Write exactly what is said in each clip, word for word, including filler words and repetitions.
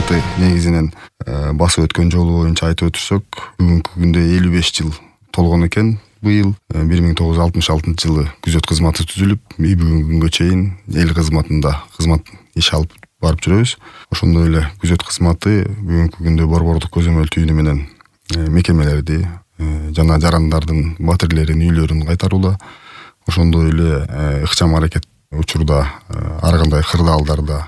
кызматы негизинен басып өткөн жолу боюнча айтып өтүрсөк, бүгүнкү күндө элүү беш жыл толгон экен. Быйыл бир миң тогуз жүз алтымыш алтынчы жылы күзөт кызматы түзүлүп, бүгүнкү күнгө чейин эл кызматында кызмат иш алып барып жүрөбүз. Ошондой эле күзөт кызматы бүгүнкү күндө борбордук көзөмөл түйүнү менен мекемелерди жана жарандардын батирлерин үйлөрүн кайтарууда, ошондой эле ыкчам аракет учурда ар кандай кырдаалдарда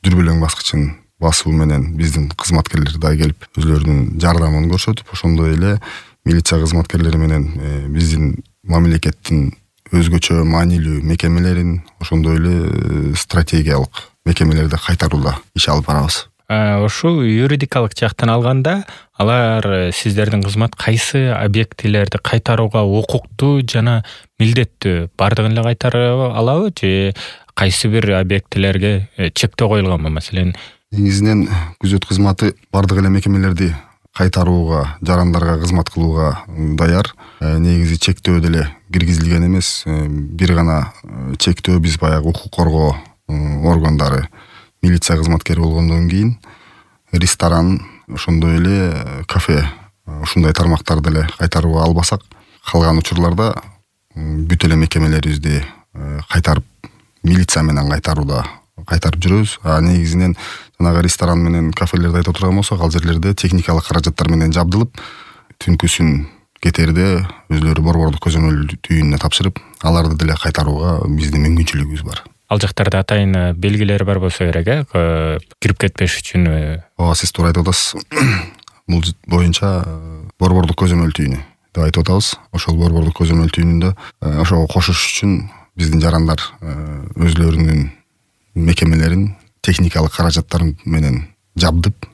дүрбөлөң баскычын басуу менен биздин кызматкерлер да келип өзлөрүнүн жардамын көрсөтүп, ошондой эле милиция кызматкерлери менен биздин мамлекеттин өзгөчө маанилүү мекемелерин, ошондой эле стратегиялык мекемелерди кайтарууда иш алып барабыз. Ошол юридикалык жактан алганда, алар сиздердин кызмат кайсы объектилерди кайтарууга укуктуу жана милдеттүү? Бардыгын эле кайтара алабы же кайсы бир объектилерге чектөө коюлганбы? Маселен, негизинен күзөт кызматы бардык эле мекемелерди кайтарууга, жарандарга кызмат кылууга даяр. Негизи чектөө деле киргизилген эмес. Бир гана чектөө биз баягы укук коргоо органдары, милиция кызматкери болгондон кийин ресторан, ошондой эле кафе, ушундай тармактарды эле кайтарууга албасак, калган учурларда бүт эле мекемелерибизди кайтарып, милиция менен кайтарууда кайтарып жүрөбүз. А негизинен жанагы ресторан менен кафелерди айтып отурган болсок, ал жерлерде техникалык каражаттар менен жабдылып, түнкүсүн кетерде өзлөрү борбордук көзөмөл түйүнүнө тапшырып, аларды деле кайтарууга биздин мүмкүнчүлүгүбүз бар. Ал жактарда атайын белгилери бар болсо керек, кирип кетпеш үчүн. Ооба, сиз туура айтып атасыз. Бул боюнча борбордук көзөмөл түйүнү деп айтып атабыз. Ошол борбордук көзөмөл түйүнүндө ошого кошуш үчүн биздин жарандар өзлөрүнүн мекемелерин техникалык каражаттар менен жабдып,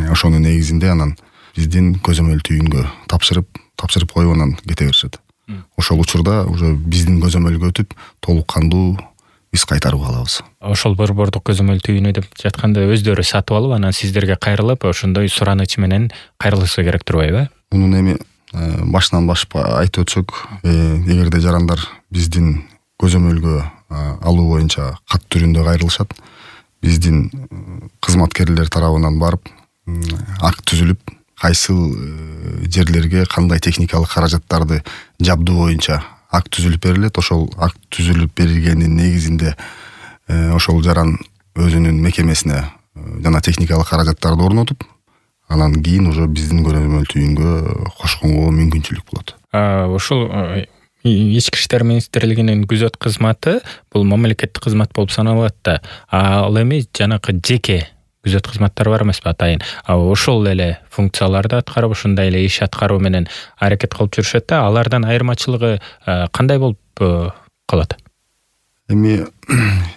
ошонун негизинде анан биздин көзөмөл түйүнгө тапшырып, тапшырып коюп анан кете беришет. Ошол учурда уже биздин көзөмөлгө өтүп, толук кандуу биз кайтарууга алабыз. Ошол борбордук көзөмөл түйүнү деп жатканда өздөрү сатып алып, анан сиздерге кайрылып, ошондой сураныч менен кайрылышы керек турбайбы? Мунун эми башынан башып айтып өтсөк, эгерде жарандар биздин көзөмөлгө алуу боюнча кат түрүндө кайрылышат, биздин кызматкерлер тарабынан барып, акт түзүлүп, кайсыл жерлерге кандай техникалык каражаттарды жабдуу боюнча акт түзүлүп берилет. Ошол акт түзүлүп берилгенин негизинде ошол жаран өзүнүн мекемесине жана техникалык каражаттарды орнотуп, анан кийин уже биздин көзөмөл түйүнгө кошконго мүмкүнчүлүк болот. Ошол Ички иштер министрлигинин күзөт кызматы бул мамлекеттик кызмат болуп саналат да. Ал эми жанакы жеке күзөт кызматтар бар эмеспи атайын. Ошол эле функцияларды аткарып, ушундай эле иш аткаруу менен аракет кылып жүрүшөт да. Алардан айырмачылыгы кандай болуп калат? Эми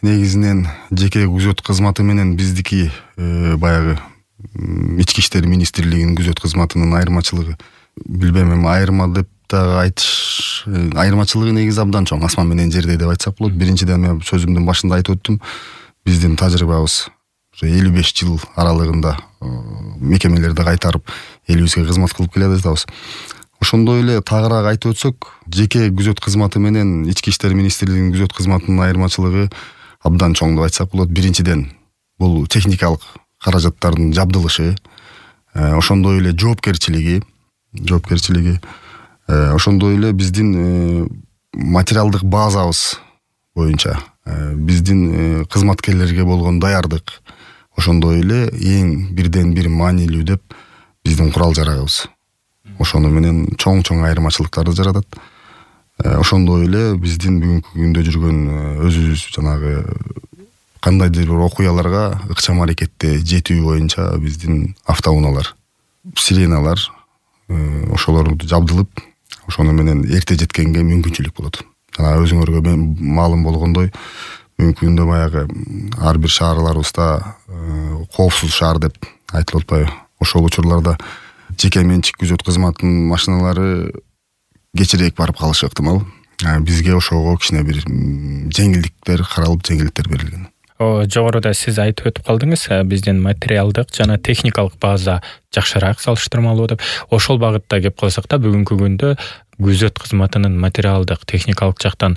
негизинен жеке күзөт кызматы менен биздики баягы ички иштер министрлигинин күзөт кызматынын айырмачылыгы, билбейм, эми айырма деп дагы айтыш, айырмачылыгы негизи абдан чоң, асман менен жердей деп айтсак болот. Биринчиден мен сөзүмдүн башында айтып өттүм, биздин тажрыйбабыз элүү беш жыл аралыгында мекемелерди кайтарып, элибизге кызмат кылып келе жатабыз. Ошондой эле тагыраак айтып өтсөк, жеке күзөт кызматы менен ички иштер министрлигинин күзөт кызматынын айырмачылыгы абдан чоң деп айтсак болот. Биринчиден бул техникалык каражаттардын жабдылышы, ошондой эле жоопкерчилиги, жоопкерчилиги, ошондой эле биздин материалдык базабыз боюнча биздин кызматкерлерге болгон даярдык, ошондой эле эң бирден бир маанилүү деп биздин курал жарагыбыз. Ошону менен чоң-чоң айырмачылыктарды жаратат. Ошондой эле биздин бүгүнкү күндө жүргөн өзүбүз жанагы кандайдыр бир окуяларга ыкчам аракетте жетүү боюнча биздин автоунаалар, сиреналар, ошолорду жабдылып, ошону менен эрте жеткенге мүмкүнчүлүк болот. Жана өзүңөргө маалым болгондой, бүгүнкү күндө баягы ар бир шаарларыбызда коопсуз шаар деп айтылып атпайбы? Ошол учурларда жеке менчик күзөт кызматынын машиналары кечирээк барып калышы ыктымал. Бизге ошого кичине бир жеңилдиктер каралып, жеңилдиктер берилген. Жогоруда сиз айтып өтүп калдыңыз, биздин материалдык жана техникалык база жакшыраак салыштырмалуу деп. Ошол багытта кеп калсак да, бүгүнкү күндө күзөт кызматынын материалдык, техникалык жактан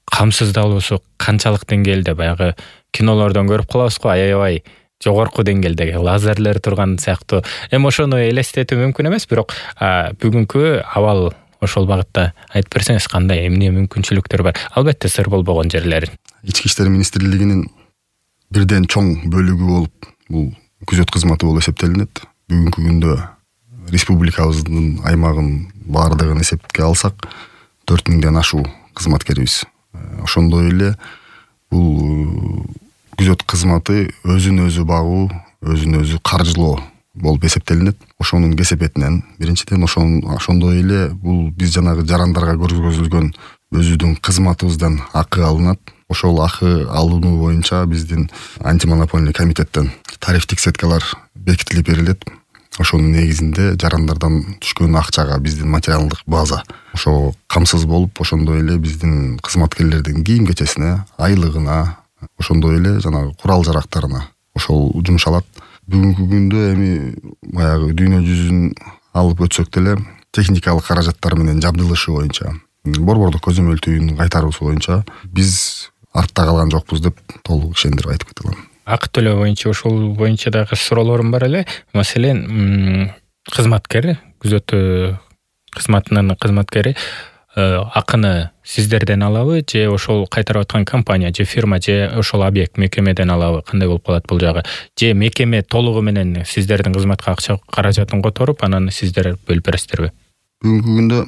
камсыздалуусу канчалык деңгээлде? Баягы кинолордон көрүп калабыз го, аябай жогорку деңгээлдеги лазерлер турган сыяктуу. Эми ошону элестетүү мүмкүн эмес, бирок бүгүнкү абал ошол багытта айтып берсеңиз, кандай эмне мүмкүнчүлүктөр бар? Албетте сыр болбогон жерлери. Ички иштер министрлигинин бирден чоң бөлүгү болуп бул күзөт кызматы болуп эсептелинет. Бүгүнкү күндө республикабыздын аймагын баардыгын эсепке алсак төрт миңден ашуу кызматкерибиз. Ошондой эле бул күзөт кызматы өзүн өзү багуу, өзүн өзү каржылоо болуп эсептелинет. Ошонун кесепетинен биринчиден ошондой эле бул биз жанагы жарандарга көргөзүлгөн өзүбүздүн кызматыбыздан акы алынат. Ошол акы алынуу боюнча биздин антимонопольный комитеттен тарифтик сеткалар бекитилип берилет. Ошонун негизинде жарандардан түшкөн акчага биздин материалдык база ошо камсыз болуп, ошондой эле биздин кызматкерлердин кийим кечесине, айлыгына, ошондой эле жанагы курал жарактарына ошол жумшалат. Бүгүнкү күндө эми баягы дүйнө жүзүн алып өтсөк деле техникалык каражаттар менен жабдылышы боюнча, борбордук көзөмөл кайтаруусу боюнча биз артта калган жокпуз деп толук ишендирип айтып кете алам. Акы төлөө боюнча ошол боюнча дагы суроолорум бар эле. Маселен, кызматкер, күзөт кызматынын кызматкери акыны сиздерден алабы, же ошол кайтарып аткан компания, же фирма, же ошол объект, мекемеден алабы? Кандай болуп калат бул жагы? Же мекеме толугу менен сиздердин кызматка акча каражатын которуп, анан сиздер бөлүп бересиздерби? Бүгүнкү күндө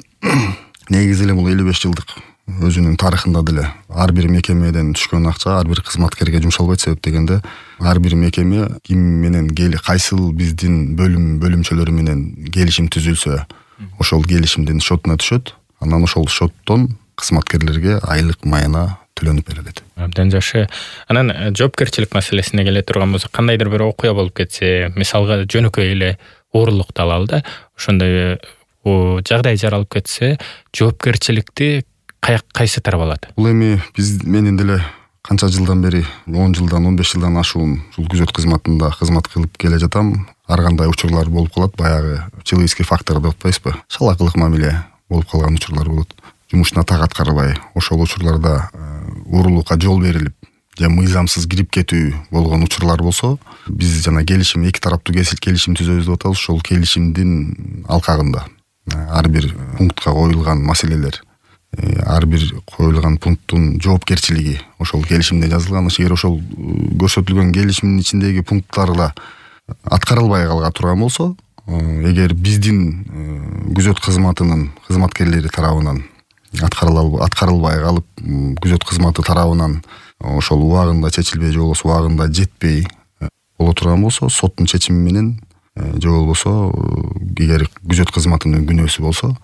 негизи эле бул элүү беш жылдык өзүнүн тарыхында деле ар бир мекемеден түшкөн акча ар бир кызматкерге жумшалбайт. Себеп дегенде ар бир мекеме ким менен кайсыл биздин бөлүм бөлүмчөлөрү менен келишим түзүлсө, ошол келишимдин шотуна түшөт. Анан ошол шоттон кызматкерлерге айлык майына төлөнүп берилет. Абдан жакшы. Анан жоопкерчилик маселесине келе турган болсок, кандайдыр бир окуя болуп кетсе, мисалга жөнөкөй эле оорулукту алалы да, ошондой жагдай жаралып кетсе, жоопкерчиликти кайсы тарап алат? Бул эми биз менин деле канча жылдан бери, он жылдан, он беш жылдан ашуун ушул күзөт кызматында кызмат кылып келе жатам. Ар кандай учурлар болуп калат, баягы человеческий фактор деп атпайсызбы? Шалакылык мамиле болуп калган учурлар болот. Жумушуна так аткарбай, ошол учурларда уурулукка жол берилип, же мыйзамсыз кирип кетүү болгон учурлар болсо, биз жана келишим, эки тараптуу келишим түзөбүз деп атабыз. Ошол келишимдин алкагында ар бир пунктка коюлган маселелер, ар бир коюлган пункттун жоопкерчилиги ошол келишимде жазылган. Эгер ошол көрсөтүлгөн келишимдин ичиндеги пункттарга аткарылбай калган турган болсо, эгер биздин күзөт кызматынын кызматкерлери тарабынан аткарылбай калып, күзөт кызматы тарабынан ошол убагында чечилбей же болбосо убагында жетпей боло турган болсо, соттун чечими менен же болбосо эгер күзөт кызматынын күнөөсү болсо,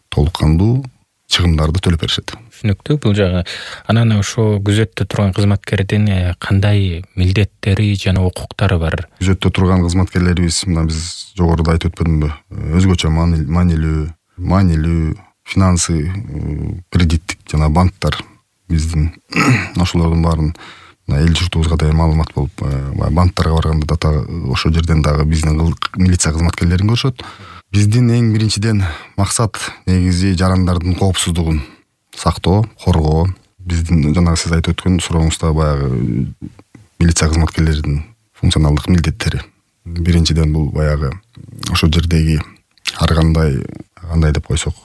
толук кандуу чыгымдарды төлөп беришет. Түшүнүктүү бул жагы. Анан ошо күзөттө турган кызматкердин кандай милдеттери жана укуктары бар? Күзөттө турган кызматкерлерибиз, мына биз жогоруда айтып өтпөдүмбү, өзгөчө маанилүү, маанилүү, финансы, кредиттик жана банктар биздин ошолордун баарын эл журтубузга да маалымат болуп, банктарга барганда да ошол жерден дагы биздин милиция кызматкерлерин көрүшөт. Биздин эң биринчиден максат негизи жарандардын коопсуздугун сактоо, коргоо. Биздин жанагы сиз айтып өткөн сурооңузда баягы милиция кызматкерлеринин функционалдык милдеттери. Биринчиден бул баягы ошол жердеги ар кандай кандай деп койсок,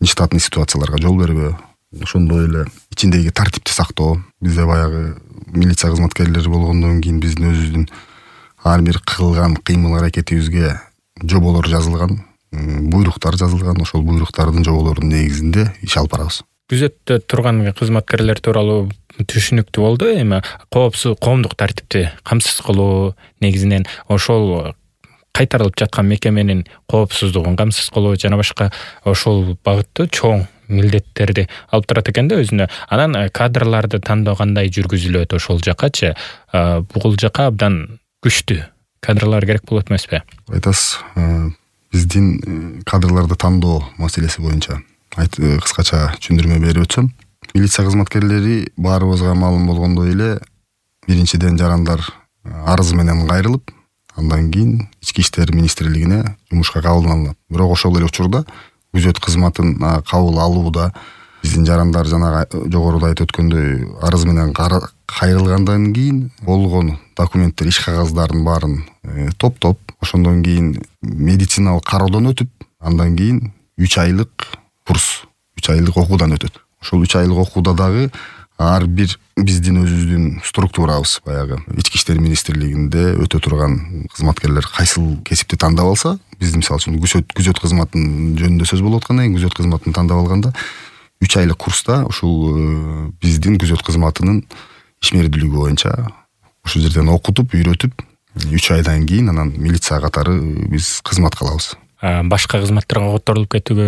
нештатный ситуацияларга жол бербөө, ошондой эле ичиндеги тартипти сактоо. Бизде баягы милиция кызматкерлери болгондон кийин биздин өзүбүздүн ар бир кылган кыймыл аракетибизге жоболор жазылган, буйруктар жазылган. Ошол буйруктардын жоболорунун негизинде иш алып барабыз. Күзөттө турган кызматкерлер тууралуу түшүнүктүү болду. Эми коопсуз коомдук тартипти камсыз кылуу негизинен ошол кайтарылып жаткан мекеменин коопсуздугун камсыз кылуу жана башка ошол багытты чоң милдеттерди алып турат экен да өзүнө. Анан кадрларды тандоо кандай жүргүзүлөт ошол жакачы? Бул жака абдан күчтүү кадрлар керек болот эмеспи? Айтасыз, биздин кадрларды тандоо маселеси боюнча кыскача түшүндүрмө берип өтсөм, милиция кызматкерлери баарыбызга маалым болгондой эле биринчиден жарандар арыз менен кайрылып, андан кийин ички иштер министрлигине жумушка кабыл алынат. Бирок ошол эле учурда күзөт кызматын кабыл алууда биздин жарандар жана жогоруда айтып өткөндөй арыз менен кайрылгандан кийин болгон документтер, иш кагаздардын баарын топтоп, ошондон кийин медициналык кароодон өтүп, андан кийин үч айлык курс, үч айлык окуудан өтөт. Ошол үч айлык окууда дагы ар бир биздин өзүбүздүн структурабыз, баягы ички иштер министрлигинде өтө турган кызматкерлер кайсыл кесипти тандап алса, биздин мисалы үчүн күзөт күзөт кызматынын жөнүндө сөз болуп аткандан кийин күзөт кызматын тандап алганда үч айлык курста ушул биздин күзөт кызматынын ишмердүүлүгү боюнча ошол жерден окутуп, үйрөтүп, үч айдан кийин анан милиция катары биз кызмат кылабыз. Башка кызматтарга которулуп кетүүгө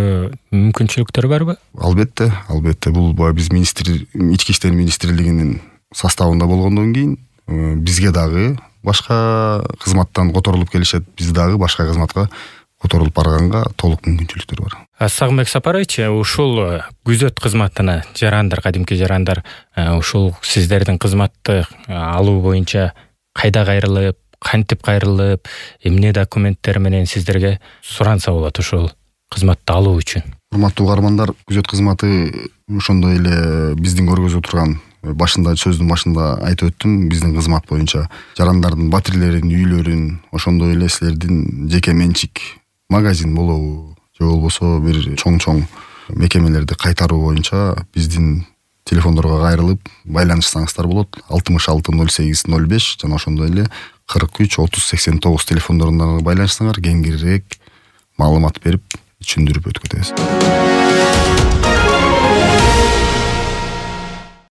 мүмкүнчүлүктөр барбы? Албетте, албетте. Бул биз министр ички иштер министрлигинин составында болгондон кийин бизге дагы башка кызматтан которулуп келишет, биз дагы башка кызматка которулуп барганга толук мүмкүнчүлүктөр бар. Сагынбек Сапарович, ушул күзөт кызматына жарандар, кадимки жарандар ушул сиздердин кызматты алуу боюнча кайда кайрылып, кантип кайрылып, эмне документтер менен сиздерге суранса болот ушул кызматты алуу үчүн? Урматтуу угармандар, күзөт кызматы ошондой эле биздин көргөзүп турган башында сөздүн башында айтып өттүм, биздин кызмат боюнча жарандардын батирлерин, үйлөрүн, ошондой эле силердин жеке менчик магазин болобу, же болбосо бир чоң-чоң мекемелерди кайтаруу боюнча биздин телефондорго кайрылып байланышсаңыздар болот. алтымыш алты ноль сегиз ноль беш жана ошондой эле кырк үч отуз сексен тогуз телефондорунан байланышсаңар кеңирээк маалымат берип, түшүндүрүп өткөрөбүз.